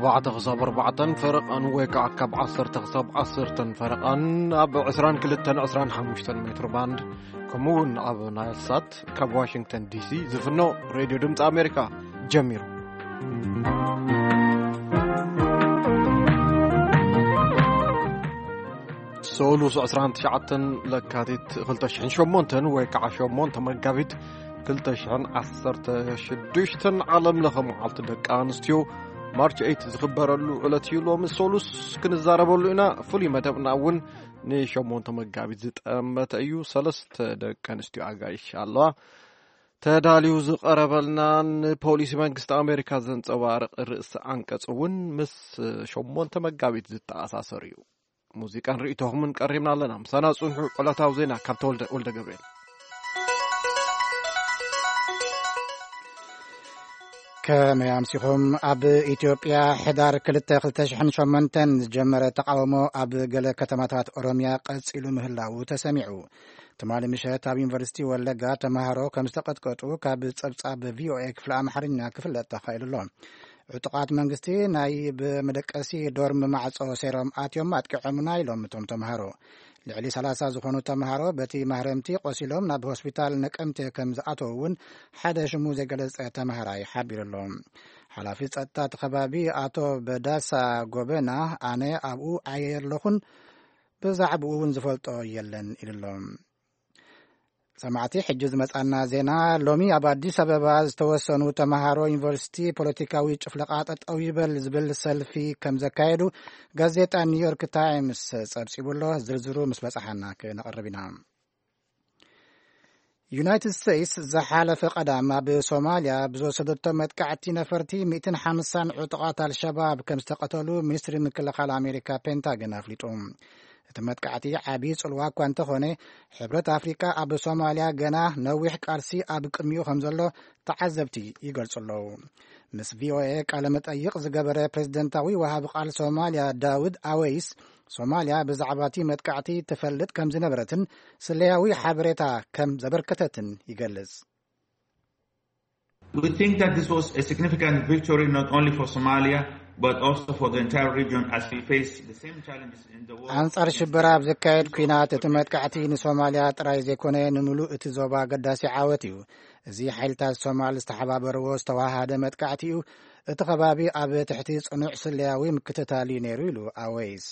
ኣርባዕተ ክሳብ ኣርባዕተን ፈረቓን ወይ ከዓ ካብ ዓሰርተ ክሳብ ዓሰርተን ፈረቓን ኣብ ዕስራን ክልተን ዕስራን ሓሙሽተን ሜትሮ ባንድ፣ ከምኡ እውን ኣብ ናይል ሳት ካብ ዋሽንግተን ዲሲ ዝፍኖ ሬድዮ ድምፂ ኣሜሪካ ጀሚሩ። ሰሉስ ዕስራን ትሽዓተን ለካቲት ክልተ ሽሕን ሸሞንተን ወይ ከዓ ሸሞንተ መጋቢት ክልተ ሽሕን ዓሰርተ ሽዱሽተን ዓለም ለኸ መዓልቲ ደቂ ኣንስትዮ፣ ማርች ኤይት ዝኽበረሉ ዕለት እዩ። ሎሚ ሰሉስ ክንዛረበሉ ኢና። ፍሉይ መደብና እውን ንሸሞንተ መጋቢት ዝጠመተ እዩ። ሰለስተ ደቂ ኣንስትዮ ኣጋይሽ ኣለዋ። ተዳልዩ ዝቐረበልና ንፖሊሲ መንግስቲ ኣሜሪካ ዘንጸባርቕ ርእሲ ኣንቀጽ እውን ምስ ሸሞንተ መጋቢት ዝተኣሳሰር እዩ። ሙዚቃን ርእይቶኹምን ቀሪብና ኣለና። ምሳና ጽንሑ። ዕለታዊ ዜና ካብ ተወልደ ወልደ ገብርኤል። ከመይ ኣምሲኹም? ኣብ ኢትዮጵያ ሕዳር ክልተ ክልተ ሽሕን ሸሞንተን ዝጀመረ ተቓውሞ ኣብ ገለ ከተማታት ኦሮምያ ቀጺሉ ምህላዉ ተሰሚዑ። ትማሊ ምሸት ኣብ ዩኒቨርሲቲ ወለጋ ተማሃሮ ከም ዝተቐጥቀጡ ካብ ጸብጻብ ቪኦኤ ክፍሊ ኣምሓርኛ ክፍለጥ ተኻኢሉ ኣሎ። ዕጡቓት መንግስቲ ናይ ብመደቀሲ ዶርም ማዕጾ ሰይሮም ኣትዮም ኣጥቂዖምና ኢሎም እቶም ተምሃሮ። ልዕሊ ሰላሳ ዝኾኑ ተምሃሮ በቲ ማህረምቲ ቆሲሎም ናብ ሆስፒታል ነቀምቴ ከም ዝኣተዉ እውን ሓደ ሽሙ ዘይገለጸ ተምሃራይ ሓቢሩ ኣሎ። ሓላፊ ጸጥታ እቲ ከባቢ ኣቶ በዳሳ ጎበና፣ ኣነ ኣብኡ ኣየለኹን፣ ብዛዕባኡ እውን ዝፈልጦ የለን ኢሉ ኣሎ። ሰማዕቲ፣ ሕጂ ዝመጻና ዜና፣ ሎሚ ኣብ ኣዲስ ኣበባ ዝተወሰኑ ተምሃሮ ዩኒቨርሲቲ ፖለቲካዊ ጭፍለቓ ጠጠው ይበል ዝብል ሰልፊ ከም ዘካየዱ ጋዜጣ ኒውዮርክ ታይምስ ጸብጺቡ ኣሎ። ዝርዝሩ ምስ በጽሓና ክነቕርብ ኢና። ዩናይትድ ስቴትስ ዝሓለፈ ቀዳም ኣብ ሶማልያ ብዝወሰደቶ መጥቃዕቲ ነፈርቲ ሚእትን ሓምሳን ዕጡቓት ኣልሸባብ ከም ዝተቐተሉ ሚኒስትሪ ምክልኻል ኣሜሪካ ፔንታገን ኣፍሊጡ። እቲ መጥቃዕቲ ዓብዪ ጽልዋ እኳ እንተኾነ፣ ሕብረት ኣፍሪቃ ኣብ ሶማልያ ገና ነዊሕ ቃልሲ ኣብ ቅድሚኡ ከም ዘሎ ተዓዘብቲ ይገልጹ ኣለዉ። ምስ ቪኦኤ ቃለ መጠይቕ ዝገበረ ፕሬዝደንታዊ ወሃቢ ቃል ሶማልያ ዳውድ ኣወይስ፣ ሶማልያ ብዛዕባ እቲ መጥቃዕቲ ትፈልጥ ከም ዝነበረትን ስለያዊ ሓበሬታ ከም ዘበርከተትን ይገልጽ። We think that this was a significant victory not only for Somalia, but also for the entire region as we face the same challenges in the war. ኣንጻር ሽበራ ኣብ ዘካየድ ኲናት እቲ መጥቃዕቲ ንሶማልያ ጥራይ ዘይኮነ፣ ንምሉእ እቲ ዞባ ኣገዳሲ ዓወት እዩ። እዚ ሓይልታት ሶማል ዝተሓባበርዎ ዝተዋሃደ መጥቃዕቲ እዩ። እቲ ከባቢ ኣብ ትሕቲ ጽኑዕ ስለያዊ ምክትታል እዩ ነይሩ ኢሉ ኣወይስ።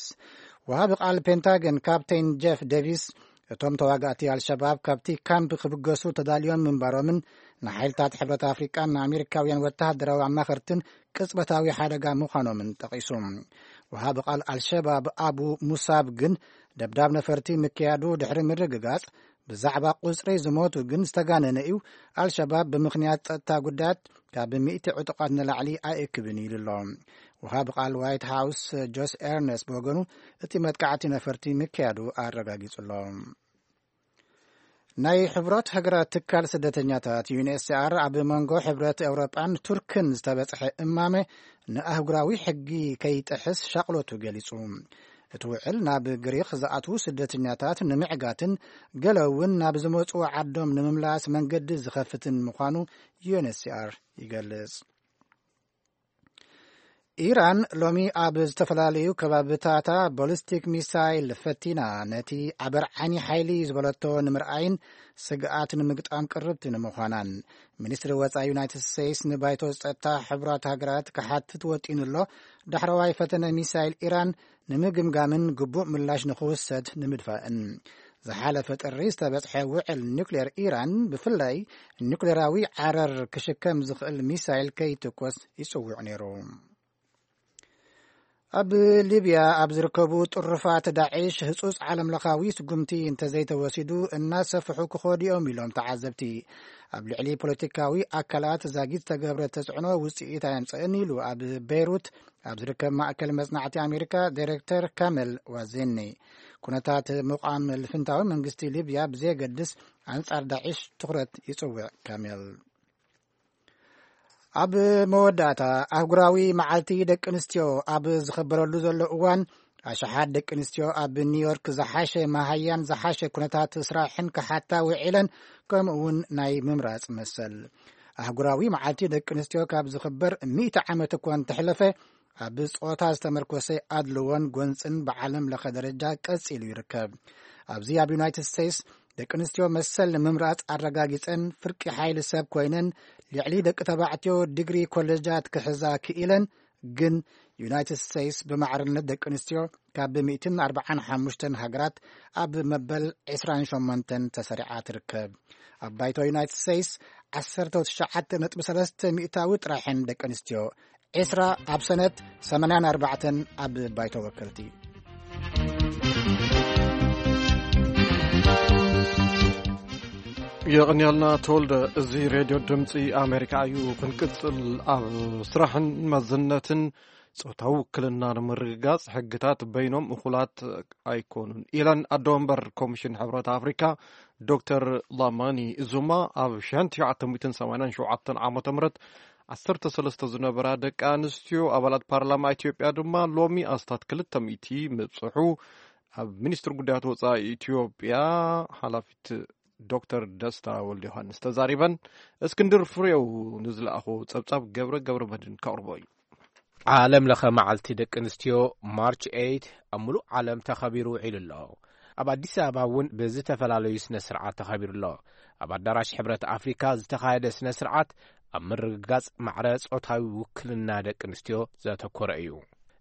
ወሃቢ ቃል ፔንታገን ካፕቴን ጄፍ ዴቪስ፣ እቶም ተዋጋእቲ ኣልሸባብ ካብቲ ካምፕ ክብገሱ ተዳልዮም ምንባሮምን ንሓይልታት ሕብረት ኣፍሪቃን ንኣሜሪካውያን ወተሃደራዊ ኣማኸርትን ቅጽበታዊ ሓደጋ ምዃኖምን ጠቒሱ። ወሃቢ ቃል ኣልሸባብ ኣቡ ሙሳብ ግን፣ ደብዳብ ነፈርቲ ምክያዱ ድሕሪ ምርግጋጽ፣ ብዛዕባ ቁጽሪ ዝሞቱ ግን ዝተጋነነ እዩ። ኣልሸባብ ብምኽንያት ጸጥታ ጉዳያት ካብ ሚእቲ ዕጡቓት ንላዕሊ ኣይእክብን ኢሉ ኣሎ። ወሃቢ ቃል ዋይት ሃውስ ጆስ ኤርነስት ብወገኑ፣ እቲ መጥቃዕቲ ነፈርቲ ምክያዱ ኣረጋጊጹ ኣሎ። ናይ ሕብረት ሃገራት ትካል ስደተኛታት ዩኤንኤችሲኣር ኣብ መንጎ ሕብረት ኤውሮጳን ቱርክን ዝተበጽሐ እማመ ንኣህጉራዊ ሕጊ ከይጥሕስ ሻቕሎቱ ገሊጹ። እቲ ውዕል ናብ ግሪኽ ዝኣትዉ ስደተኛታት ንምዕጋትን ገለ እውን ናብ ዝመጽኡ ዓዶም ንምምላስ መንገዲ ዝኸፍትን ምዃኑ ዩኤንኤችሲኣር ይገልጽ። ኢራን ሎሚ ኣብ ዝተፈላለዩ ከባብታታ ቦሊስቲክ ሚሳይል ፈቲና፣ ነቲ ኣበርዓኒ ሓይሊ ዝበለቶ ንምርኣይን ስግኣት ንምግጣም ቅርብቲ ንምዃናን። ሚኒስትሪ ወጻኢ ዩናይትድ ስቴትስ ንባይቶ ጸጥታ ሕቡራት ሃገራት ክሓትት ወጢኑ ኣሎ። ዳሕረዋይ ፈተነ ሚሳይል ኢራን ንምግምጋምን ግቡእ ምላሽ ንኽውሰድ ንምድፋእን። ዝሓለፈ ጥሪ ዝተበጽሐ ውዕል ኒውክሌር ኢራን፣ ብፍላይ ኒውክሌራዊ ዓረር ክሽከም ዝኽእል ሚሳይል ከይትኮስ ይጽውዕ ነይሩ። ኣብ ሊብያ ኣብ ዝርከቡ ጥሩፋት ዳዕሽ ህጹጽ ዓለምለኻዊ ስጉምቲ እንተዘይተወሲዱ እናሰፍሑ ክኸዱ እዮም ኢሎም ተዓዘብቲ። ኣብ ልዕሊ ፖለቲካዊ ኣካላት ዛጊት ዝተገብረ ተጽዕኖ ውጽኢት ኣየምጽእን ኢሉ ኣብ ቤይሩት ኣብ ዝርከብ ማእከል መጽናዕቲ ኣሜሪካ ዳይሬክተር ካሜል ዋዜኒ። ኩነታት ምቋም ልፍንታዊ መንግስቲ ሊብያ ብዘየገድስ ኣንጻር ዳዕሽ ትኹረት ይጽውዕ ካሜል። ኣብ መወዳእታ፣ ኣህጉራዊ መዓልቲ ደቂ ኣንስትዮ ኣብ ዝኽበረሉ ዘሎ እዋን፣ ኣሽሓት ደቂ ኣንስትዮ ኣብ ኒውዮርክ ዝሓሸ መሃያን ዝሓሸ ኩነታት ስራሕን ክሓታ ውዒለን፣ ከምኡ እውን ናይ ምምራጽ መሰል። ኣህጉራዊ መዓልቲ ደቂ ኣንስትዮ ካብ ዝኽበር ሚእቲ ዓመት እኳ እንተሕለፈ፣ ኣብ ጾታ ዝተመርኮሰ ኣድልዎን ጎንጽን ብዓለም ለኸ ደረጃ ቀጺሉ ይርከብ። ኣብዚ ኣብ ዩናይትድ ስቴትስ ደቂ ኣንስትዮ መሰል ንምምራጽ ኣረጋጊጸን ፍርቂ ሓይሊ ሰብ ኮይነን ልዕሊ ደቂ ተባዕትዮ ዲግሪ ኮሌጃት ክሕዛ ክኢለን፣ ግን ዩናይትድ ስቴትስ ብማዕርነት ደቂ ኣንስትዮ ካብ ሚእትን ኣርባዓን ሓሙሽተን ሃገራት ኣብ መበል ዕስራን ሸሞንተን ተሰሪዓ ትርከብ። ኣብ ባይቶ ዩናይትድ ስቴትስ ዓሰርተ ትሽዓተ ነጥቢ ሰለስተ ሚእታዊ ጥራሕን ደቂ ኣንስትዮ፣ ዕስራ ኣብ ሰነት፣ ሰማንያን ኣርባዕተን ኣብ ባይቶ ወከልቲ። የቐንያልና ተወልደ። እዚ ሬድዮ ድምፂ ኣሜሪካ እዩ። ክንቅፅል፣ ኣብ ስራሕን መዝነትን ጾታዊ ውክልና ንምርግጋጽ ሕግታት በይኖም እኹላት ኣይኮኑን ኢለን ኣዶ ወንበር ኮሚሽን ሕብረት ኣፍሪካ ዶክተር ላማኒ ዙማ። ኣብ ሽሕን ትሽዓተ ሚእትን ሰማንያን ሸውዓተን ዓመተ ምህረት ዓሰርተ ሰለስተ ዝነበራ ደቂ ኣንስትዮ ኣባላት ፓርላማ ኢትዮጵያ ድማ ሎሚ ኣስታት ክልተ ሚእቲ ምብጽሑ ኣብ ሚኒስትሪ ጉዳያት ወጻኢ ኢትዮጵያ ሓላፊት ዶክተር ደስታ ወልደ ዮሃንስ ተዛሪበን። እስክንድር ፍሬው ንዝለኣኾ ጸብጻብ ገብረ ገብረ መድህን ከቕርቦ እዩ። ዓለም ለኸ መዓልቲ ደቂ ኣንስትዮ ማርች ኤይት ኣብ ምሉእ ዓለም ተኸቢሩ ውዒሉ ኣሎ። ኣብ ኣዲስ ኣበባ እውን ብዝተፈላለዩ ስነ ስርዓት ተኸቢሩ ኣሎ። ኣብ ኣዳራሽ ሕብረት ኣፍሪካ ዝተኻየደ ስነ ስርዓት ኣብ ምርግጋጽ ማዕረ ጾታዊ ውክልና ደቂ ኣንስትዮ ዘተኮረ እዩ።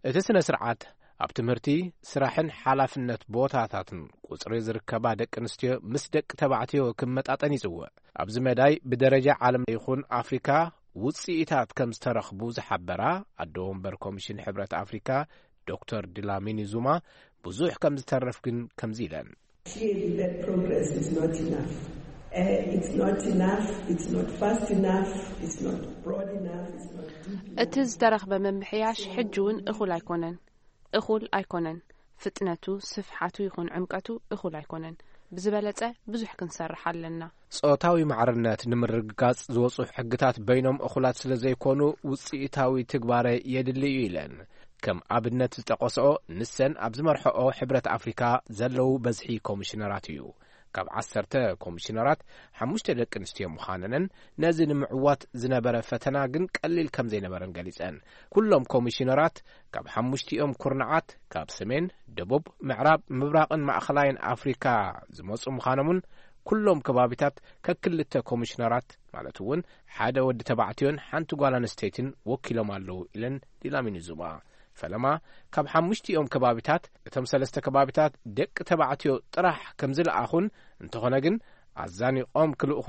እቲ ስነ ስርዓት ኣብ ትምህርቲ፣ ስራሕን ሓላፍነት ቦታታትን ቁጽሪ ዝርከባ ደቂ ኣንስትዮ ምስ ደቂ ተባዕትዮ ክመጣጠን ይጽውዕ። ኣብዚ መዳይ ብደረጃ ዓለም ይኹን ኣፍሪካ ውጽኢታት ከም ዝተረኽቡ ዝሓበራ ኣዶ ወንበር ኮሚሽን ሕብረት ኣፍሪካ ዶክተር ድላሚኒ ዙማ፣ ብዙሕ ከም ዝተረፍ ግን ከምዚ ኢለን። Clearly, that progress is not enough. Uh, it's not enough, it's not fast enough, it's not broad enough, it's not deep enough. እቲ ዝተረኽበ ምምሕያሽ ሕጂ እውን እኹል ኣይኮነን። እኹል ኣይኮነን። ፍጥነቱ፣ ስፍሓቱ ይኹን ዕምቀቱ እኹል ኣይኮነን። ብዝበለጸ ብዙሕ ክንሰርሕ ኣለና። ጾታዊ ማዕርነት ንምርግጋጽ ዝወጹ ሕግታት በይኖም እኹላት ስለ ዘይኮኑ፣ ውጽኢታዊ ትግባረ የድሊ እዩ ኢለን። ከም ኣብነት ዝጠቐስኦ፣ ንሰን ኣብ ዝመርሐኦ ሕብረት ኣፍሪካ ዘለዉ በዝሒ ኮሚሽነራት እዩ። ካብ ዓሰርተ ኮሚሽነራት፣ ሓሙሽተ ደቂ ኣንስትዮ ምዃነንን ነዚ ንምዕዋት ዝነበረ ፈተና ግን ቀሊል ከም ዘይነበረን ገሊጸን። ኩሎም ኮሚሽነራት ካብ ሓሙሽቲኦም ኩርናዓት፣ ካብ ሰሜን፣ ደቡብ፣ ምዕራብ፣ ምብራቕን ማእኸላይን ኣፍሪካ ዝመጹ ምዃኖምን ኩሎም ከባቢታት ከክልተ ኮሚሽነራት፣ ማለት እውን ሓደ ወዲ ተባዕትዮን ሓንቲ ጓል ኣንስተይትን ወኪሎም ኣለዉ ኢለን ዲላሚኒ ዙማ። ፈለማ ካብ ሓሙሽቲኦም ከባቢታት እቶም ሰለስተ ከባቢታት ደቂ ተባዕትዮ ጥራሕ ከም ዝለኣኹን፣ እንተኾነ ግን ኣዛኒቖም ክልእኹ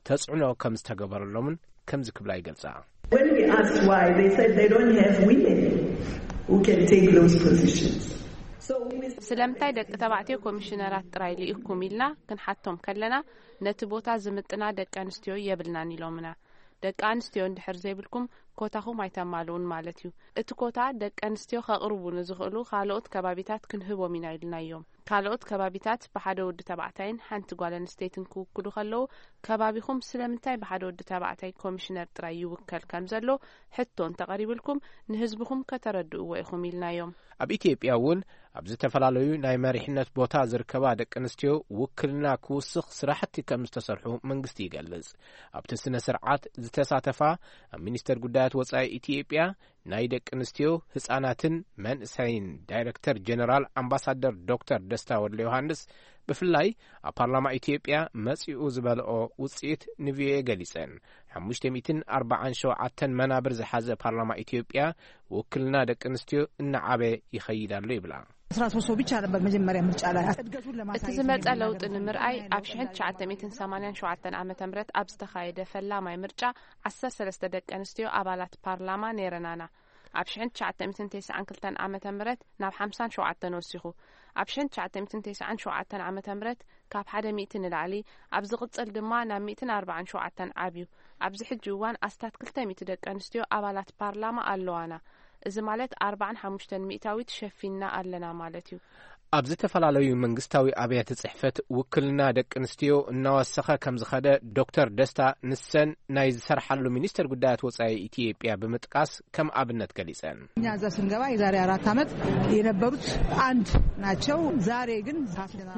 ተጽዕኖ ከም ዝተገበረሎምን ከምዚ ክብላ ይገልጻ። When we asked why, they said they don't have women who can take those positions. So we ስለምንታይ ደቂ ተባዕትዮ ኮሚሽነራት ጥራይ ልኢኩም ኢልና ክንሓቶም ከለና፣ ነቲ ቦታ ዝምጥና ደቂ ኣንስትዮ የብልናን ኢሎምና። ደቂ ኣንስትዮ እንድሕር ዘይብልኩም፣ ኮታኹም ኣይተማልኡን ማለት እዩ። እቲ ኮታ ደቂ ኣንስትዮ ከቕርቡ ንዝኽእሉ ካልኦት ከባቢታት ክንህቦም ኢና ኢልናዮም። ካልኦት ከባቢታት ብሓደ ወዲ ተባዕታይን ሓንቲ ጓል ኣንስተይትን ክውክሉ ከለዉ፣ ከባቢኹም ስለምንታይ ብሓደ ወዲ ተባዕታይ ኮሚሽነር ጥራይ ይውከል ከም ዘሎ ሕቶ እንተቐሪብልኩም፣ ንህዝብኹም ከተረድእዎ ኢኹም ኢልናዮም። ኣብ ኢትዮጵያ እውን ኣብ ዝተፈላለዩ ናይ መሪሕነት ቦታ ዝርከባ ደቂ ኣንስትዮ ውክልና ክውስኽ ስራሕቲ ከም ዝተሰርሑ መንግስቲ ይገልጽ። ኣብቲ ስነ ስርዓት ዝተሳተፋ ኣብ ሚኒስተር ጉዳያት ወጻኢ ኢትዮጵያ ናይ ደቂ ኣንስትዮ፣ ህጻናትን መንእሰይን ዳይረክተር ጀነራል ኣምባሳደር ዶክተር ደስታ ወልደ ዮሃንስ፣ ብፍላይ ኣብ ፓርላማ ኢትዮጵያ መጺኡ ዝበልኦ ውጽኢት ንቪኦኤ ገሊጸን። ሓሙሽተ ሚእትን ኣርባዓን ሸውዓተን መናብር ዝሓዘ ፓርላማ ኢትዮጵያ ውክልና ደቂ ኣንስትዮ እናዓበየ ይኸይድ ኣሎ ይብላ። አስራ ሶስት ሰው ብቻ ነበር መጀመሪያ ምርጫ ላይ እድገቱን ለማሳየት እቲ ዝመጸ ለውጢ ንምርኣይ ኣብ ሽሕን ትሽዓተ ሚእትን ሰማንያን ሸውዓተን ዓመተ ምህረት ኣብ ዝተኻየደ ፈላማይ ምርጫ ዓሰርተ ሰለስተ ደቂ ኣንስትዮ ኣባላት ፓርላማ ነይረናና። ኣብ ሽሕን ትሽዓተ ሚእትን ተስዓን ክልተን ዓመተ ምህረት ናብ ሓምሳን ሸውዓተን ወሲኹ። ኣብ ሽሕን ትሽዓተ ሚእትን ተስዓን ሸውዓተን ዓመተ ምህረት ካብ ሓደ ሚእቲ ንላዕሊ፣ ኣብ ዝቕጽል ድማ ናብ ሚእትን ኣርባዓን ሸውዓተን ዓብዩ። ኣብዚ ሕጂ እዋን ኣስታት ክልተ ሚእቲ ደቂ ኣንስትዮ ኣባላት ፓርላማ ኣለዋና። እዚ ማለት ኣርባዓን ሓሙሽተን ሚእታዊት ሸፊንና ኣለና ማለት እዩ። ኣብ ዝተፈላለዩ መንግስታዊ ኣብያተ ጽሕፈት ውክልና ደቂ ኣንስትዮ እናወሰኸ ከም ዝኸደ ዶክተር ደስታ፣ ንሰን ናይ ዝሰርሓሉ ሚኒስተር ጉዳያት ወጻኢ ኢትዮጵያ ብምጥቃስ ከም ኣብነት ገሊጸን። እኛ እዛ ስንገባ የዛሬ አራት ዓመት የነበሩት አንድ ናቸው። ዛሬ ግን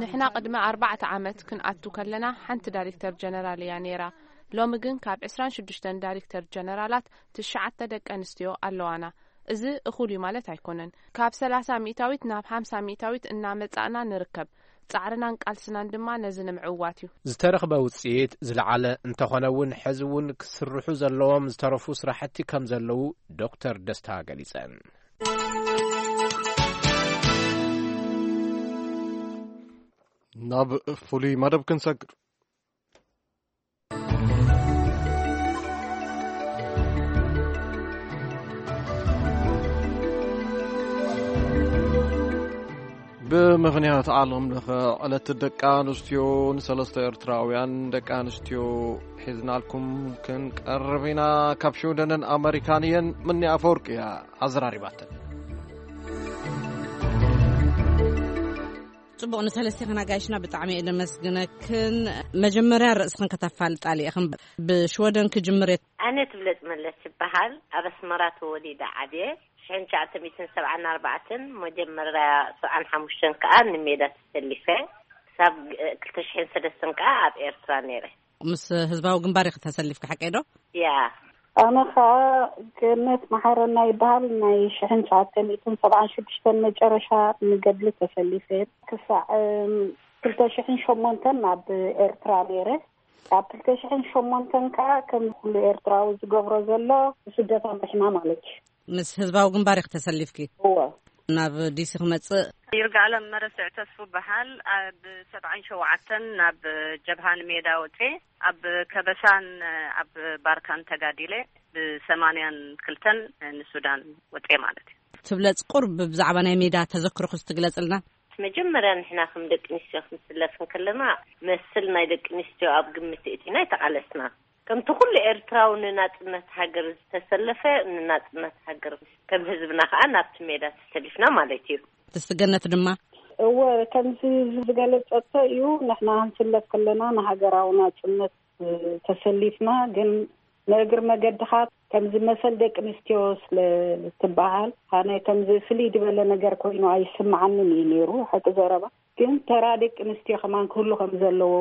ንሕና ቅድሚ ኣርባዕተ ዓመት ክንኣቱ ከለና ሓንቲ ዳይሬክተር ጀነራል እያ ነይራ። ሎሚ ግን ካብ ዕስራን ሽዱሽተን ዳይሬክተር ጀነራላት ትሽዓተ ደቂ ኣንስትዮ ኣለዋና። እዚ እኹል እዩ ማለት ኣይኮነን። ካብ ሰላሳ ሚእታዊት ናብ ሓምሳ ሚእታዊት እናመጻእና ንርከብ። ጻዕርናን ቃልስናን ድማ ነዚ ንምዕዋት እዩ። ዝተረኽበ ውጽኢት ዝለዓለ እንተኾነ እውን፣ ሕዚ እውን ክስርሑ ዘለዎም ዝተረፉ ስራሕቲ ከም ዘለዉ ዶክተር ደስታ ገሊጸን። ናብ ፍሉይ መደብ ክንሰግር። ብምኽንያት ዓለም ለኸ ዕለት ደቂ ኣንስትዮ፣ ንሰለስተ ኤርትራውያን ደቂ ኣንስትዮ ሒዝናልኩም ክንቀርብ ኢና። ካብ ሽወደንን ኣመሪካን እየን። ምኒ ኣፈወርቂ እያ ኣዘራሪባተን። ጽቡቕ፣ ንሰለስቴኽን ኣጋይሽና ብጣዕሚ እየ ደመስግነክን። መጀመርያ ርእስኽን ከተፋልጣ ኢኽን። ብሽወደን ክጅምር እየ። ኣነ ትብለጽ መለስ ይበሃል። ኣብ ኣስመራ ተወሊደ ዓብየ። ሽሕን ትሽዓተ ሚእትን ሰብዓን ኣርባዕተን፣ መጀመርያ ሰብዓን ሓሙሽተን ከኣ ንሜዳ ተሰሊፈ። ክሳብ ክልተ ሽሕን ሰለስተን ከኣ ኣብ ኤርትራ ነይረ። ምስ ህዝባዊ ግንባር ኢኺ ተሰሊፍኪ፣ ሓቀይ ዶ? ያ። ኣነ ኸኣ ገነት መሓረና ይበሃል። ናይ ሽሕን ትሽዓተ ሚእትን ሰብዓን ሽዱሽተን መጨረሻ ንገድሊ ተሰሊፈ። ክሳዕ፣ እም፣ ክልተ ሽሕን ሸሞንተን ናብ ኤርትራ ነይረ። ኣብ ክልተ ሽሕን ሸሞንተን ከኣ ከም ኩሉ ኤርትራዊ ዝገብሮ ዘሎ ስደት ኣምሪሕና ማለት እዩ። ምስ ህዝባዊ ግንባር ኢኺ ተሰሊፍኪ? እወ። ናብ ዲሲ ክመጽእ? ይርጋለም መረስዕ ተስፉ በሃል። ኣብ ሰብዓን ሸውዓተን ናብ ጀብሃ ንሜዳ ወጼ፣ ኣብ ከበሳን ኣብ ባርካን ተጋዲለ፣ ብሰማንያን ክልተን ንሱዳን ወጼ ማለት እዩ። ትብለጽ፣ ቁርብ ብዛዕባ ናይ ሜዳ ተዘክሮኽስ ትግለጽልና? መጀመርያ ንሕና ከም ደቂ ኣንስትዮ ክንስለፍ እንከለና፣ መስል ናይ ደቂ ኣንስትዮ ኣብ ግምት እቲና ኣይተቓለስና። ከምቲ ኩሉ ኤርትራዊ ንናጽነት ሃገር ዝተሰለፈ፣ ንናጽነት ሃገር ከም ህዝብና ከኣ ናብቲ ሜዳ ተሰሊፍና ማለት እዩ። ትስገነት ድማ? እወ፣ ከምዚ ዝገለጸቶ እዩ። ንሕና ክንስለፍ ከለና ንሃገራዊ ናጽነት፣ እ፣ ተሰሊፍና፣ ግን ንእግሪ መገድኻ ከምዚ መሰል ደቂ ኣንስትዮ ስለ ትበሃል፣ ኣነ ከምዚ ፍልይ ዝበለ ነገር ኮይኑ ኣይስምዓንን እዩ ነይሩ፣ ሓቂ ዘረባ። ግን ተራ ደቂ ኣንስትዮ ከማን ክህሉ ከም ዘለዎ፣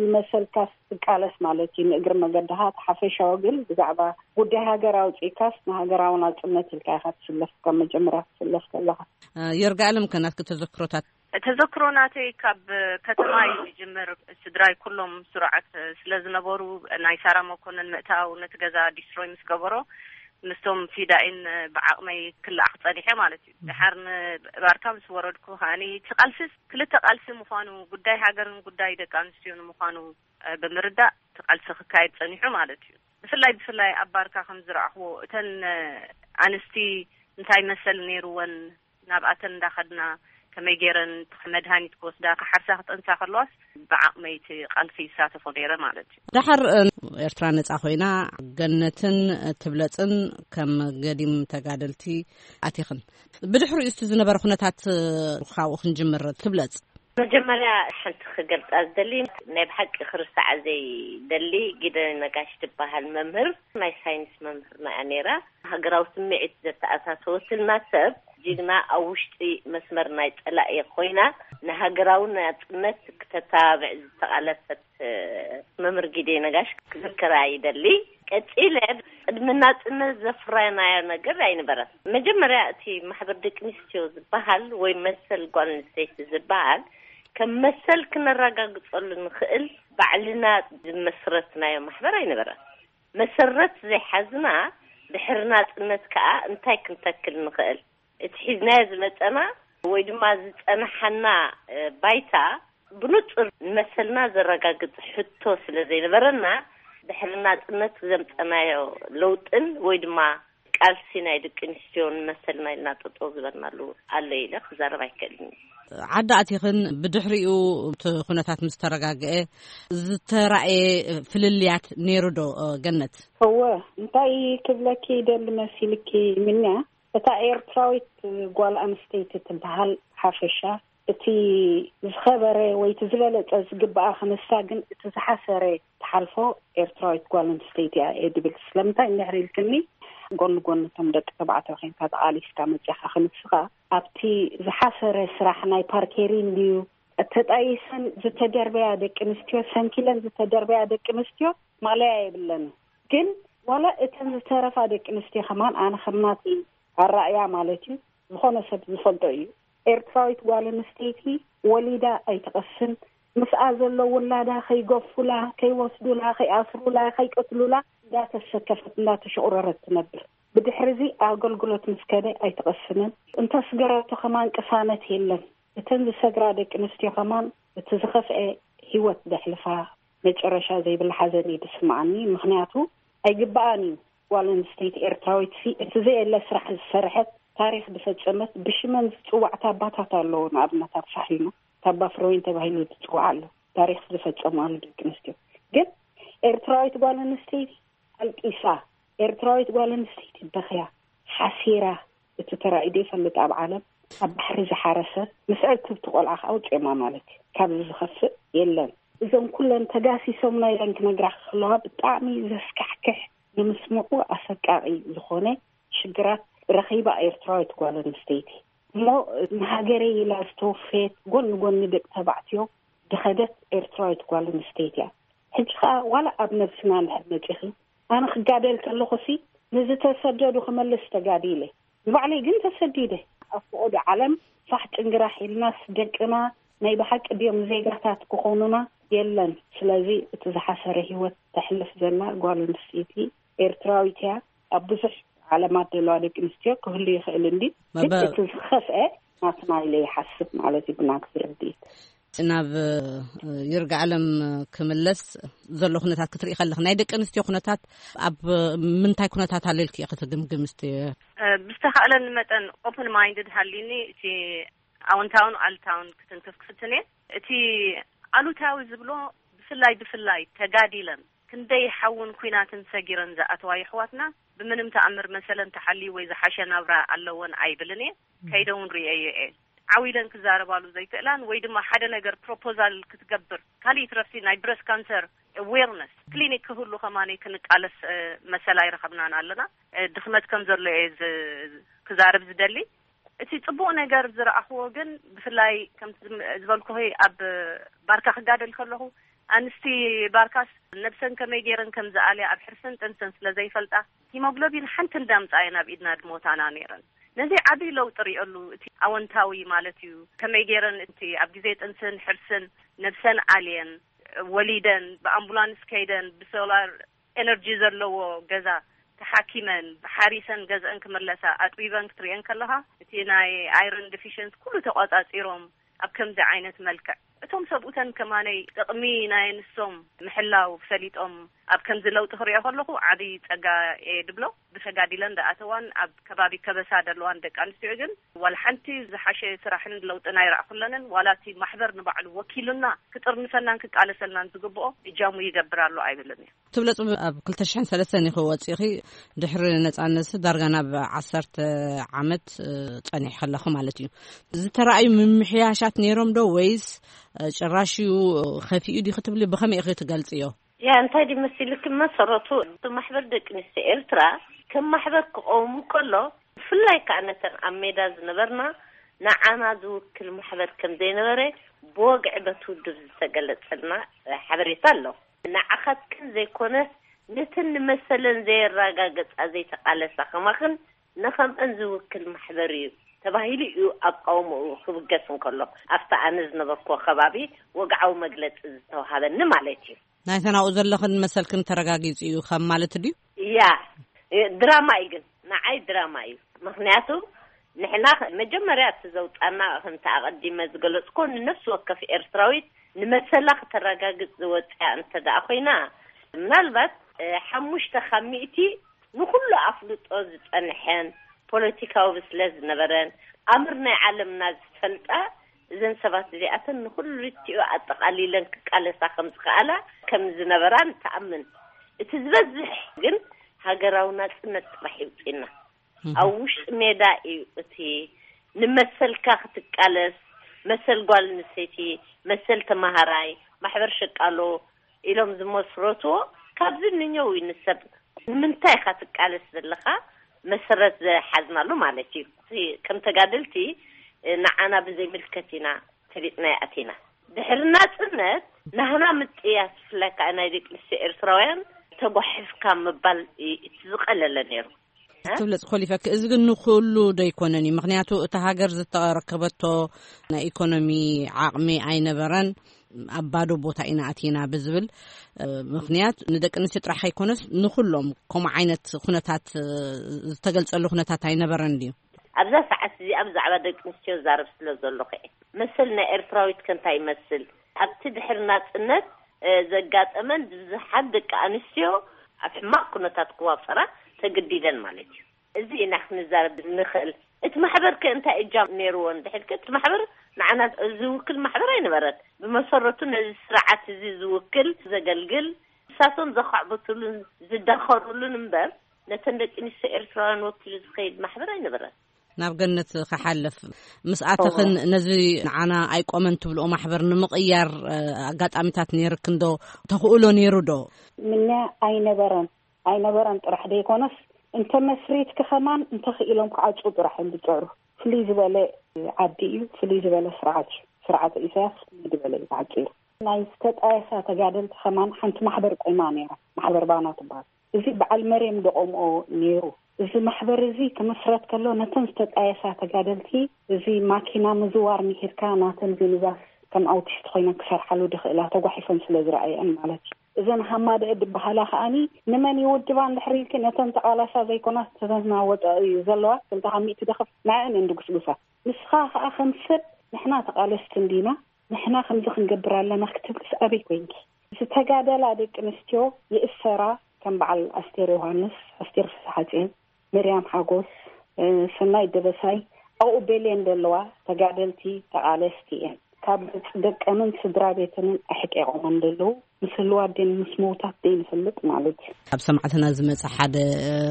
ንመሰልካስ ትቃለስ ማለት እዩ፣ ንእግሪ መገድኻ። እቲ ሓፈሻዊ ግን ብዛዕባ ጉዳይ ሃገር ኣውጺእካስ ንሃገራዊ ናጽነት ኢልካ ኢኻ ትስለፍ፣ ካብ መጀመርያ ክትስለፍ ከለኻ። እ፣ ይርጋለም ከ ናትኪ ተዘክሮታት? ተዘክሮ ናተይ ካብ ከተማ እዩ ዝጅምር። ስድራይ ኩሎም ስሩዓት ስለ ዝነበሩ፣ ናይ ሳራ መኮነን ምእታው ነቲ ገዛ ዲስትሮይ ምስ ገበሮ፣ ምስቶም ፊዳኢን ብዓቕመይ ክለኣኽ ጸኒሐ ማለት እዩ። ደሓር ንባርካ ምስ ወረድኩ ከኣኒ፣ እቲ ቃልሲ ክልተ ቃልሲ ምዃኑ፣ ጉዳይ ሃገርን ጉዳይ ደቂ ኣንስትዮን ምዃኑ፣ እ፣ ብምርዳእ እቲ ቃልሲ ክካየድ ጸኒሑ ማለት እዩ። ብፍላይ፣ ብፍላይ ኣብ ባርካ ከም ዝረኣኽዎ፣ እተን፣ እ፣ ኣንስቲ እንታይ መሰል ነይርወን፣ ናብኣተን እንዳኸድና ከመይ ገይረን መድሃኒት ክወስዳ፣ ክሓርሳ፣ ክጠንሳ ከለዋስ ብዓቕመይ እቲ ቃልሲ ይሳተፎ ነይረ ማለት እዩ። ደሓር፣ እ፣ ኤርትራ ነጻ ኮይና፣ ገነትን ትብለጽን ከም ገዲም ተጋደልቲ ኣቲኽን። ብድሕሪኡ እስቲ ዝነበረ ኩነታት፣ እ፣ ካብኡ ክንጅምር። ትብለጽ። መጀመርያ ሓንቲ ክገልጻ ዝደሊ፣ ናይ ብሓቂ ክርስዓ ዘይደሊ፣ ጊደን ነጋሽ ትበሃል መምህር፣ ናይ ሳይንስ መምህርና እያ ነይራ። ሃገራዊ ስምዒት ዘተኣታተወትልና ሰብ፣ ጅግና፣ ኣብ ውሽጢ መስመር ናይ ጸላኢ ኮይና ንሃገራዊ ናጽነት ክተተባብዕ ዝተቓለሰት፣ እ፣ መምህር ጊደይ ነጋሽ ክዝክራ ይደሊ። ቀጺለ፣ ቅድሚ ናጽነት ዘፍረናዮ ነገር ኣይነበረን። መጀመርያ እቲ ማሕበር ደቂ ኣንስትዮ ዝበሃል ወይ መሰል ጓል ኣንስተይቲ ዝበሃል ከም መሰል ክነረጋግጸሉ ንኽእል ባዕልና ዝመስረትናዮ ማሕበር ኣይነበረን። መሰረት ዘይሓዝና ድሕሪ ናጽነት ከኣ እንታይ ክንተክል ንኽእል? እቲ ሒዝናዮ ዝመጸና ወይ ድማ ዝጸናሓና፣ እ፣ ባይታ ብንጹር ንመሰልና ዘረጋግጽ ሕቶ ስለ ዘይነበረና፣ ድሕሪ ናጽነት ዘምጸናዮ ለውጥን ወይ ድማ ቃልሲ ናይ ደቂ ኣንስትዮ ንመሰልና ኢልና ጠጠው ዝበልናሉ ኣሎ ኢለ ክዛረብ ኣይክእልን። ዓዲ ኣቲኽን ብድሕሪኡ እቲ ኩነታት ምስ ተረጋግአ ዝተራእየ ፍልልያት ነይሩ ዶ፣ ገነት? እወ፣ እንታይ ክብለኪ ይደሊ መሲልኪ፣ ምንያ እታ ኤርትራዊት ጓል ኣንስተይቲ ትበሃል ሓፈሻ፣ እቲ ዝኸበረ ወይ እቲ ዝበለጸ ዝግባኣ ክንሳ፣ ግን እቲ ዝሓሰረ ትሓልፎ ኤርትራዊት ጓል ኣንስተይቲ እያ እየ ድብል። ስለምንታይ እንድሕር ኢልክኒ፣ ጎኒ ጎኒ እቶም ደቂ ተባዕትዮ ኬንካ ተቓሊስካ መጺኻ ክንስኻ፣ ኣብቲ ዝሓሰረ ስራሕ ናይ ፓርኬሪን ድዩ፣ ተጣይሰን ዝተደርበያ ደቂ ኣንስትዮ፣ ሰንኪለን ዝተደርበያ ደቂ ኣንስትዮ ማለያ የብለንን። ግን ዋላ እተን ዝተረፋ ደቂ ኣንስትዮ ከማን፣ ኣነ ከም ናተይ ኣራእያ ማለት እዩ፣ ዝኾነ ሰብ ዝፈልጦ እዩ። ኤርትራዊት ጓል ኣንስተይቲ ወሊዳ ኣይትቐስን። ምስኣ ዘሎ ውላዳ ከይገፉላ፣ ከይወስዱላ፣ ከይኣስሩላ፣ ከይቀትሉላ እንዳተሰከፈት እንዳተሸቑረረት ትነብር። ብድሕሪ እዚ ኣገልግሎት ምስ ከደ ኣይትቐስንን። እንተስገረቶ ከማን ቅሳነት የለን። እተን ዝሰግራ ደቂ ኣንስትዮ ከማን እቲ ዝኸፍአ ህይወት ዘሕልፋ፣ መጨረሻ ዘይብላ ሓዘን እዩ ዝስምዓኒ። ምኽንያቱ ኣይግብኣን እዩ። ጓል ኣንስተይቲ ኤርትራዊት ሲ እቲ ዘየለ ስራሕ ዝሰረሐት፣ ታሪኽ ዝፈጸመት፣ ብሽመን ዝጽዋዕታ ኣባታት ኣለዎ። ንኣብነት ኣብ ሳሕልና ታባ ፍረወይን ተባሂሉ ዝጽዋዕ ኣሎ፣ ታሪኽ ዝፈጸሙ ኣሉ ደቂ ኣንስትዮ። ግን ኤርትራዊት ጓል ኣንስተይቲ ኣልቂሳ፣ ኤርትራዊት ጓል ኣንስተይቲ በኽያ፣ ሓሲራ፣ እቲ ተራእዩ ዘይፈልጥ ኣብ ዓለም። ኣብ ባሕሪ ዝሓረሰ፣ ምስ ዕትብቲ ቆልዓ ከዓ ውፅማ ማለት እዩ። ካብዚ ዝኸፍእ የለን። እዞም ኩለን ተጋሲሶምና ኢለን ክነግራ ከለዋ ብጣዕሚ ዘስካሕክሕ፣ ንምስምዑ ኣሰቃቂ ዝኾነ ሽግራት ረኺባ ኤርትራዊት ጓል ኣንስተይቲ። እሞ ንሃገረይ ኢላ ዝተወፈየት፣ ጎኒ ጎኒ ደቂ ተባዕትዮ ዝኸደት ኤርትራዊት ጓል ኣንስተይቲ እያ። ሕጂ ከዓ ዋላ ኣብ ነብስና እንድሕር መፂኺ፣ ኣነ ክጋደል ከለኹ ሲ ንዝተሰደዱ ክመልስ ተጋዲለ፣ ንባዕለይ ግን ተሰዲደ። ኣብ ፈቐዶ ዓለም ፋሕ ጭንግራሕ ኢልናስ ደቅና ናይ ብሓቂ ድዮም ዜጋታት ክኾኑና? የለን። ስለዚ እቲ ዝሓሰረ ህይወት ተሕልፍ ዘላ ጓል ኣንስተይቲ ኤርትራዊት እያ። ኣብ ብዙሕ ዓለማት ዘለዋ ደቂ ኣንስትዮ ክህሉ ይኽእል እንዲ፣ ግን መበ- እቲ ዝኸፍአ ናትና ኢለ ይሓስብ ማለት እዩ፣ ብናትኪ ርድኢት። ናብ ይርጋ ዓለም ክምለስ ዘሎ ኩነታት ክትርኢ ከለኽ፣ ናይ ደቂ ኣንስትዮ ኩነታት ኣብ ምንታይ ኩነታት ኣለልኪ ኢኺ ትግምግም? እስቲ ብዝተኻእለኒ መጠን ኦፕን ማይንድድ ሃሊኒ፣ እቲ ኣወንታውን ኣልታውን ክትንክፍ ክፍትን እየ። እቲ ኣሉታዊ ዝብሎ፣ ብፍላይ ብፍላይ ተጋዲለን ክንደይ ሓውን ኩናትን ሰጊረን ዝኣተዋ የሕዋትና፣ ብምንም ተኣምር መሰለን ተሓልዩ ወይ ዝሓሸ ናብራ ኣለወን ኣይብልን እየ። ከይደውን ርእየዮ እየ። ዓው ኢለን ክዛረባሉ ዘይክእላን፣ ወይ ድማ ሓደ ነገር ፕሮፖዛል ክትገብር፣ ካልእ ትረፍሲ ናይ ብረስት ካንሰር ኣዌርነስ ክሊኒክ ክህሉ ከማነይ ክንቃለስ፣ እ፣ መሰል ኣይረኸብናን ኣለና። እ፣ ድኽመት ከም ዘሎ እየ ዝ-፣ ክዛረብ ዝደሊ። እቲ ጽቡቕ ነገር ዝረኣኽዎ ግን፣ ብፍላይ ከምቲ ዝም-፣ ዝበልኩኺ፣ ኣብ ባርካ ክጋደል ከለኹ፣ ኣንስቲ ባርካስ ነብሰን ከመይ ገይረን ከም ዝኣልያ ኣብ ሕርስን ጥንስን ስለ ዘይፈልጣ፣ ሂሞግሎቢን ሓንቲ እንዳምጻ እየን ኣብ ኢድና ድሞታና ነይረን። ነዚ ዓቢ ለውጢ ርእየሉ፣ እቲ ኣወንታዊ ማለት እዩ። ከመይ ገይረን እቲ ኣብ ግዜ ጥንስን ሕርስን ነብሰን ኣልየን፣ ወሊደን፣ ብኣምቡላንስ ከይደን፣ ብሶላር ኤነርጂ ዘለዎ ገዛ ተሓኪመን፣ ሓሪሰን ገዝአን ክምለሳ፣ ኣጥቢበን ክትርእየን ከለኻ፣ እቲ ናይ ኣይረን ዲፊሽንስ ኩሉ ተቋጻጺሮም ኣብ ከምዚ ዓይነት መልክዕ፣ እቶም ሰብኡተን ከማነይ ጥቕሚ ናይ ኣንስቶም ምሕላው ፈሊጦም ኣብ ከምዚ ለውጢ ክርእዮ ከለኹ ዓቢ ጸጋ እየ ድብሎ። ብተጋዲለን ዝኣተዋን ኣብ ከባቢ ከበሳ ዘለዋን ደቂ ኣንስትዮ ግን ዋላ ሓንቲ ዝሓሸ ስራሕን ለውጥን ኣይረኣኹለንን። ዋላ እቲ ማሕበር ንባዕሉ ወኪሉና ክጥርንፈናን ክቃለሰልናን ዝግብኦ እጃሙ ይገብር ኣሎ ኣይብልን እየ። ትብለጽ ኣብ ክልተ ሽሕን ሰለስተን ኢኺ ወጺኺ፣ ድሕሪ ነጻነት ዳርጋ ናብ ዓሰርተ ዓመት፣ እ፣ ጸኒሕኪ ኣለኺ ማለት እዩ። ዝተራእዩ ምምሕያሻት ነይሮም ዶ ወይስ፣ እ፣ ጭራሽ እዩ፣ እ፣ ከፊኡ ድዩ ክትብሊ ብኸመይ ኢኺ ትገልጽዮ? ያ፣ እንታይ ድዩ መሲልኪ፣ መሰረቱ እቲ ማሕበር ደቂ ኣንስትዮ ኤርትራ ከም ማሕበር ክቐውም ከሎ፣ ብፍላይ ከኣ ነተን ኣብ ሜዳ ዝነበርና፣ ንዓና ዝውክል ማሕበር ከም ዘይነበረ ብወግዒ በቲ ውድብ ዝተገለጸልና ሓበሬታ ኣሎ። ንዓኻትክን ዘይኮነስ፣ ነተን ንመሰለን ዘየረጋገጻ ዘይተቓለሳ ከማኽን ንኸምአን ዝውክል ማሕበር እዩ ተባሂሉ እዩ ኣቃውምኡ ክብገስ እንከሎ፣ ኣብቲ ኣነ ዝነበርኩዎ ከባቢ ወግዓዊ መግለጺ ዝተዋሃበኒ ማለት እዩ። ናይተን ኣብኡ ዘለኽን መሰልክን ተረጋጊጹ እዩ ከም ማለት ድዩ? ያ፣ ድራማ እዩ ግን፣ ንዓይ ድራማ እዩ። ምኽንያቱ ንሕና መጀመርያ እቲ ዘውጻና፣ ከምቲ ኣቐዲመ ዝገለጽኩ፣ ንነፍሲ ወከፍ ኤርትራዊት ንመሰላ ክተረጋግጽ ዝወጽያ እንተ ደኣ ኮይና፣ ምናልባት፣ እ፣ ሓሙሽተ ካብ ሚእቲ ንኹሉ ኣፍልጦ ዝጸንሐን ፖለቲካዊ ብስለት ዝነበረን ኣምር ናይ ዓለምና ዝፈልጣ፣ እዘን ሰባት እዚኣተን ንኹሉ ርቲኡ ኣጠቓሊለን ክቃለሳ ከም ዝኸኣላ ከም ዝነበራ ንተኣምን። እቲ ዝበዝሕ ግን ሃገራዊ ናጽነት ጥራሕ ይውጽእና። ኣብ ውሽጢ ሜዳ እዩ እቲ ንመሰልካ ክትቃለስ፣ መሰል ጓል ኣንስተይቲ፣ መሰል ተመሃራይ፣ ማሕበር ሸቃሎ ኢሎም ዝመስረትዎ። ካብዚ ንኛው እዩ ንሰብ ንምንታይ ኢኻ ትቃለስ ዘለኻ መሰረት ዝሓዝናሉ ማለት እዩ። እቲ ከም ተጋደልቲ ንዓና ብዘይምልከት ኢና ፈሊጥናዮ ኣቲና። ድሕሪ ናጽነት ናህና ምጥያስ፣ ብፍላይ ከኣ ናይ ደቂ ኣንስትዮ ኤርትራውያን፣ ተጓሒፍካ ምባል እዩ እቲ ዝቐለለ ነይሩ። ትብለጽ ኮሊፈክ፣ እዚ ግን ንኹሉ ዶ ኣይኮነን እዩ? ምኽንያቱ እታ ሃገር ዝተረከበቶ ናይ ኢኮኖሚ ዓቕሚ ኣይነበረን። ኣብ ባዶ ቦታ ኢና ኣቲና ብዝብል ምኽንያት ንደቂ ኣንስትዮ ጥራሕ ኣይኮነስ ንኹሎም ከምኡ ዓይነት ኩነታት ዝተገልጸሉ ኩነታት ኣይነበረን ድዩ? ኣብዛ ሰዓት እዚኣ ብዛዕባ ደቂ ኣንስትዮ ዛረብ ስለ ዘለኹ እየ። መሰል ናይ ኤርትራዊት ከ እንታይ ይመስል? ኣብቲ ድሕሪ ናጽነት ዘጋጠመን ብዙሓት ደቂ ኣንስትዮ ኣብ ሕማቕ ኩነታት ክዋፈራ ተገዲደን ማለት እዩ። እዚ ኢና ክንዛረብ ንኽእል። እቲ ማሕበር ከ እንታይ እጃም ነይርዎ እንድሕልከ? እቲ ማሕበር ንዓና ዝውክል ማሕበር ኣይነበረን። ብመሰረቱ ነዚ ስርዓት እዚ ዝውክል፣ ዘገልግል፣ ንሳቶም ዘኻዕብትሉን ዝዳኸሩሉን እምበር፣ ነተን ደቂ ኣንስትዮ ኤርትራውያን ወኪሉ ዝኸይድ ማሕበር ኣይነበረን። ናብ ገነት ክሓልፍ ምስኣተኽን ነዚ ንዓና ኣይቆመን ትብልኦ ማሕበር ንምቕያር ኣጋጣሚታት ነይርክን ዶ? ተኽእሎ ነይሩ ዶ? ምንያ ኣይነበረን። ኣይነበረን ጥራሕ ደይኮነስ፣ እንተ መስሪትኪ ከማን እንተኽኢሎም ክዓጹ ጥራሕ እዮም ዝጽዕሩ። ፍልይ ዝበለ ዓዲ እዩ፣ ፍልይ ዝበለ ስርዓት እዩ። ስርዓት ኢሳያስ ፍልይ ዝበለ እዩ ተዓጺሩ። ናይ ዝተጣየሳ ተጋደልቲ ከማን ሓንቲ ማሕበር ቆይማ ነይራ፣ ማሕበር ባና ትበሃል። እዚ በዓል መርየም ደቆምኦ ነይሩ። እዚ ማሕበር እዚ ክምስረት ከሎ ነተን ዝተጣየሳ ተጋደልቲ እዚ ማኪና ምዝዋር ምሂርካ ናተን ሚኒባስ ከም ኣውቲስት ኮይነን ክሰርሓሉ ድኽእላ ተጓሒፈን ስለ ዝረኣየን ማለት እዩ። እዘን ሃማደአ ድበሃላ ከኣኒ ንመን ይውድባ እንድሕር ኢልኪ ነተን ተቓላሳ ዘይኮናስ ተተናወጠ እዩ ዘለዋ ክልተ ካብ ሚእቲ ደኸፍ ንዐን እየን ድጉስጉሳ። ንስኻ ከኣ ከም ሰብ ንሕና ተቓለስቲ እንዲና ንሕና ከምዚ ክንገብር ኣለና ክትብልስ ኣበይ ኮይንኪ? ዝተጋደላ ደቂ ኣንስትዮ ይእሰራ ከም በዓል ኣስቴር ዮሃንስ፣ ኣስቴር ፍስሓጽዮን፣ ምርያም ሓጎስ፣ ሰናይ ደበሳይ ኣብኡ ቤሌን ዘለዋ ተጋደልቲ ተቓለስቲ እየን። ካብ ገጽ ደቀንን ስድራ ቤተንን ኣሕቂቖመን ዘለዉ ምስ ህልዋት ደን ምስ ምዉታት ደይ ንፈልጥ ማለት እዩ። ኣብ ሰማዕትና ዝመጸ ሓደ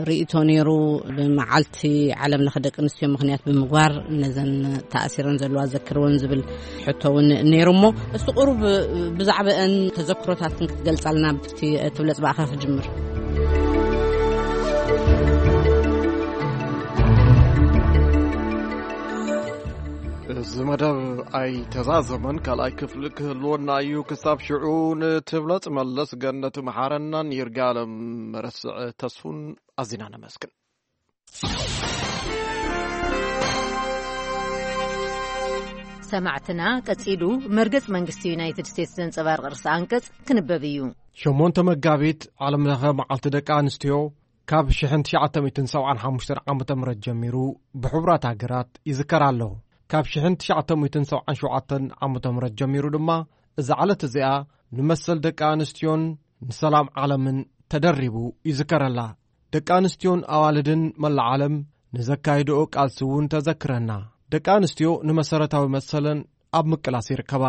ርእይቶ ነይሩ። ብመዓልቲ ዓለም ለኸ ደቂ ኣንስትዮ ምኽንያት ብምግባር ነዘን ተኣሲረን ዘለዋ ዘክርወን ዝብል ሕቶ እውን ነይሩ። እሞ እስቲ ቁሩብ ብዛዕባአን ተዘክሮታትን ክትገልጻልና ብቲ ትብለጽ ብኣኻ ክጅምር። እዚ መደብ ኣይተዛዘመን ካልኣይ ክፍሊ ክህልወና እዩ። ክሳብ ሽዑ ንትብለጽ መለስ፣ ገነት መሓረናን ይርጋለም መረስዕ ተስፉን ኣዚና ነመስግን። ሰማዕትና፣ ቀጺሉ መርገጽ መንግስቲ ዩናይትድ ስቴትስ ዘንጸባርቕ ርእሰ ኣንቀጽ ክንበብ እዩ። ሸሞንተ መጋቢት ዓለም ለኸ መዓልቲ ደቂ ኣንስትዮ ካብ ሽሕን ትሽዓተ ሚእትን ሰብዓን ሓሙሽተን ዓመተ ምህረት ጀሚሩ ብሕቡራት ሃገራት ይዝከር ኣሎ። ካብ ሽሕን ትሽዓተ ሚእትን ሰብዓን ሸውዓተን ዓመተ ምህረት ጀሚሩ ድማ እዛ ዕለት እዚኣ ንመሰል ደቂ ኣንስትዮን ንሰላም ዓለምን ተደሪቡ ይዝከረላ። ደቂ ኣንስትዮን ኣዋልድን መላእ ዓለም ንዘካይድኦ ቃልሲ እውን ተዘክረና። ደቂ ኣንስትዮ ንመሰረታዊ መሰለን ኣብ ምቅላስ ይርከባ።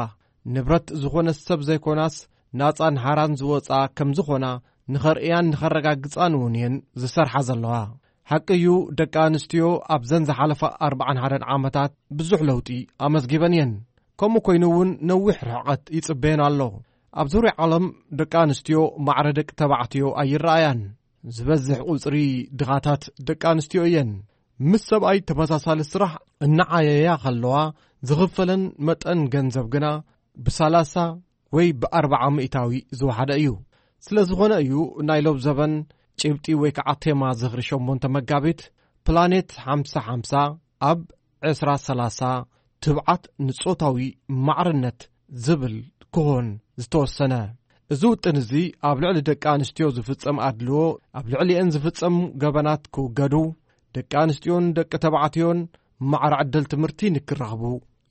ንብረት ዝኾነ ሰብ ዘይኮናስ ናጻን ሓራን ዝወጻ ከም ዝኾና ንኸርእያን ንኸረጋግጻን እውን እየን ዝሰርሓ ዘለዋ። ሓቂ እዩ፣ ደቂ ኣንስትዮ ኣብዘን ዝሓለፋ ኣርብዓን ሓደን ዓመታት ብዙሕ ለውጢ ኣመዝጊበን እየን። ከምኡ ኮይኑ እውን ነዊሕ ርሕቐት ይጽበየን ኣሎ። ኣብ ዙርያ ዓለም ደቂ ኣንስትዮ ማዕረ ደቂ ተባዕትዮ ኣይረኣያን። ዝበዝሕ ቁጽሪ ድኻታት ደቂ ኣንስትዮ እየን። ምስ ሰብኣይ ተመሳሳሊ ስራሕ እናዓየያ ከለዋ ዝኽፈለን መጠን ገንዘብ ግና ብሰላሳ ወይ ብኣርብዓ ሚእታዊ ዝወሓደ እዩ። ስለ ዝኾነ እዩ ናይ ሎብ ዘበን ጭብጢ ወይ ከዓ ቴማ ዝኽሪ ሸሞንተ መጋቢት ፕላኔት ሓምሳ ሓምሳ ኣብ ዕስራ ሰላሳ ትብዓት ንጾታዊ ማዕርነት ዝብል ክኾን ዝተወሰነ። እዚ ውጥን እዚ ኣብ ልዕሊ ደቂ ኣንስትዮ ዝፍጸም ኣድልዎ፣ ኣብ ልዕሊአን ዝፍጸም ገበናት ክውገዱ፣ ደቂ ኣንስትዮን ደቂ ተባዕትዮን ማዕረ ዕድል ትምህርቲ ንክረኽቡ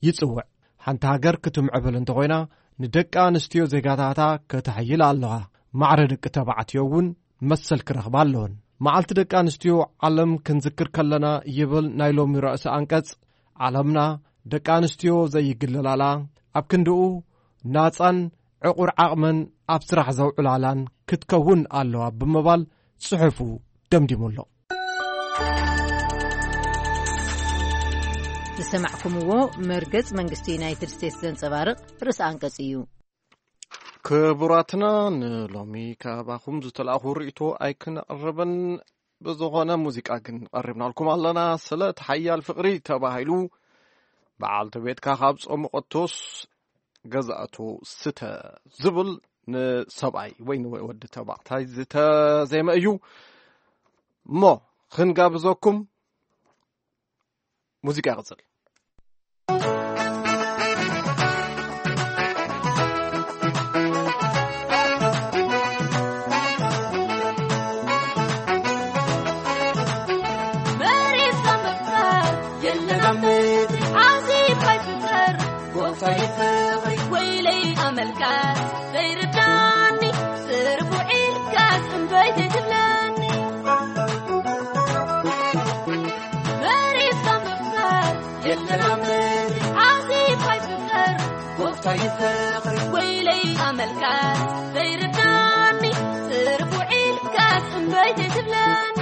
ይጽውዕ። ሓንቲ ሃገር ክትምዕብል እንተኾይና ንደቂ ኣንስትዮ ዜጋታታ ከተሕይል ኣለዋ። ማዕረ ደቂ ተባዕትዮ እውን መሰል ክረኽባ ኣለወን። መዓልቲ ደቂ ኣንስትዮ ዓለም ክንዝክር ከለና ይብል ናይ ሎሚ ርእሲ ኣንቀጽ፣ ዓለምና ደቂ ኣንስትዮ ዘይግልላላ፣ ኣብ ክንድኡ ናጻን ዕቑር ዓቕመን ኣብ ስራሕ ዘውዕላላን ክትከውን ኣለዋ ብምባል ጽሑፉ ደምዲሙ ኣሎ። ዝሰማዕኩምዎ መርገጽ መንግስቲ ዩናይትድ ስቴትስ ዘንጸባርቕ ርእሲ ኣንቀጽ እዩ። ክቡራትና፣ ንሎሚ ካባኹም ዝተላእኹ ርእይቶ ኣይክነቕርብን፣ ብዝኾነ ሙዚቃ ግን ቀሪብናልኩም ኣለና። ስለ እቲ ሓያል ፍቕሪ ተባሂሉ በዓልቲ ቤትካ ካብ ጾምቐቶስ ገዛእቱ ስተ ዝብል ንሰብኣይ ወይ ንወዲ ተባዕታይ ዝተዜመ እዩ። እሞ ክንጋብዘኩም። ሙዚቃ ይቕጽል። መሬት ካብ ምፍጣር የለን ኣብ ምድሪ ዓዚብ ኣይፍጠር። ጎብታይ ፍቕሪ ወይለይ ኣመልካስ ዘይርዳኒ ስርቡ ኢልካስ እምበይ ዘይትብለኒ። መሬት ካብ ምፍጣር የለን ኣብ ምድሪ ዓዚብ ኣይፍጠር። ጎብታይ ፍቕሪ ወይለይ ኣመልካስ ዘይርዳኒ ስርቡ ኢልካስ እምበይ ዘይትብለኒ።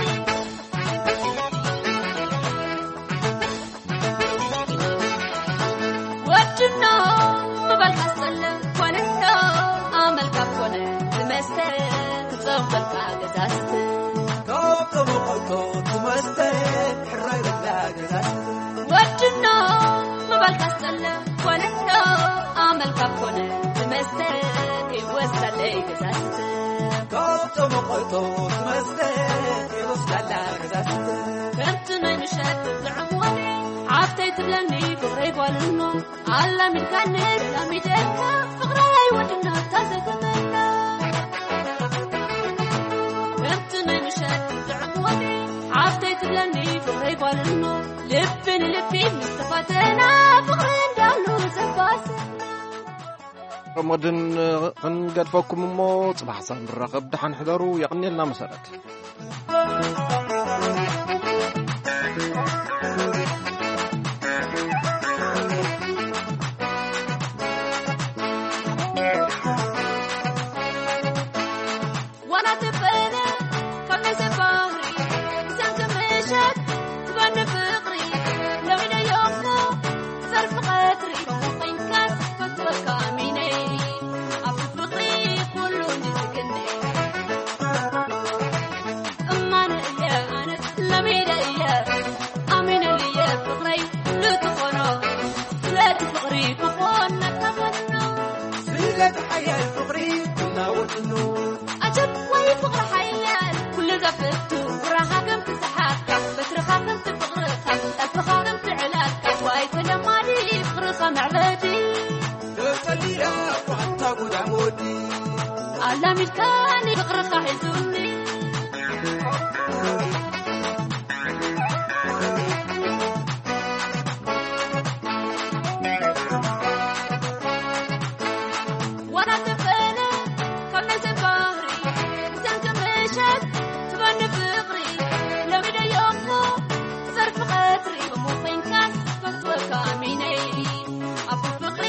ወድኖ ምባልካ ዝጸልእ ኮነኖ ኣመልካ ኮነ ዝመስል ክጸውተልካ ገዛዝት። ካብ ተመቐልቶ ትመስል ሕራይ በላ ገዛዝት። ወድኖ ምባልካ ዝጸልእ ኮነኖ ኣመልካ ኮነ ዝመስል ይወስዳለይ ገዛዝት። ካብ ተመቐልቶ ትመስል ይወስዳላ ገዛዝት። ከምቲ ናይ ምሸት ጥዑም ወግዒ ሓፍተይ ትብለኒ ፍቕረይ ጓልኖ ኣላሚድካኒ ኣላሚደካ ፍቕረይ ወድኖ ታዘገመና። ከምቲ ናይ ምሸት ጥዑም ወግዒ ሓፍተይ ትብለኒ ፍቕረይ ጓልኖ ልቢ ንልቢ ምስ ተፋተና ፍቕሪ እንዳሉ ዘባስና። ሮሞድን ክንገድፈኩም እሞ ጽባሕ ሳብ ንራኸብ። ደሓን ሕደሩ። የቕንየልና መሰረት። ዋላ ትበለ ካብ ናይ ሰብ ባህሪ ብሰንኪ ምሸት ትበኒ ፍቕሪ ለሚደዮ እሞ ሰርፊ ቀትሪ ከምኡ ኮይንካስ ፈትወካ ኣሚነይ ኣብ ፍቕሪ ኩሉ እንዲ ዝግነ እማነ እየ ኣነስ ለሚደ እየ ኣሚነልየ ፍቕረይ ልትኾኖ ስለቲ ፍቕሪ ክኾነካ ፈኖ ስለቲ ሓያል ፍቕሪ ክናወጥኖ ኣጀብ ወይ ፍቕሪ ሓያል ኩሉ ዘፍቱ ፍቕራኻ ከም ትሰሓካ በትርኻ ከም ትፍቕርኻ ጠፍኻ ከም ትዕላልካ ዋይ ተለማዲ ፍቕርኻ መዕበዲ ተጸሊላ እኳ ኣታ ጉዳም ወዲ ኣላሚድካኒ ፍቕርኻ ሒዙኒ ዋላ ተፈለ ካብ ናይ ሰብ ባህሪ ብሰንኪ ምሸት ትበኒ ፍቕሪ ለሚደዮ እሞ ሰርፊ ቀትሪ እሞ ኮይንካስ ፈትወካ ኣሚነይ ኣብ ፍቕሪ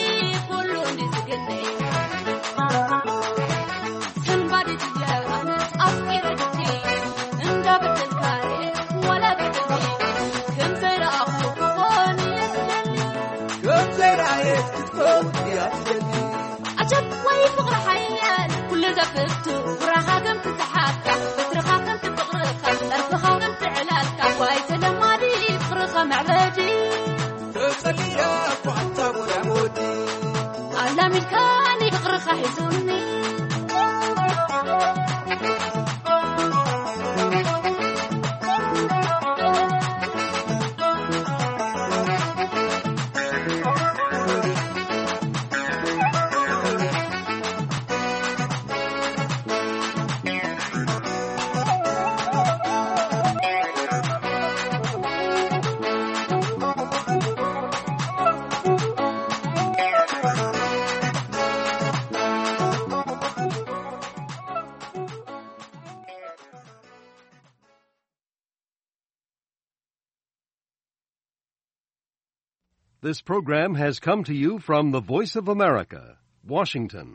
ኩሉ እንዲ ዝግነ ሰንባዲ ትብለ ኣፍቂረ ድቲ እንዳበደልካ ዋላ በደልኒ ከም ዘይረኣኹ ክኾን እየ ዝደሊ ከም ዘይረኣየት ክትከውን እያ ትደሊ ኣጀብ ወይ ፍቕሪ ሓያል ኩሉ ዘፍቱ ፍራኻ ከም ትሰሓካ በትርኻ ከም ትፍቕርኻ ጠርፍኻ ከም ትዕላልካ ዋይ ተለማዲ ፍቕርኻ መዕበዲ ተጸሊላ እኳ ኣታ ጎዳም ወዲ ኣላሚድካኒ ፍቕርኻ ሒዙኒ This program has come to you from the Voice of America, Washington.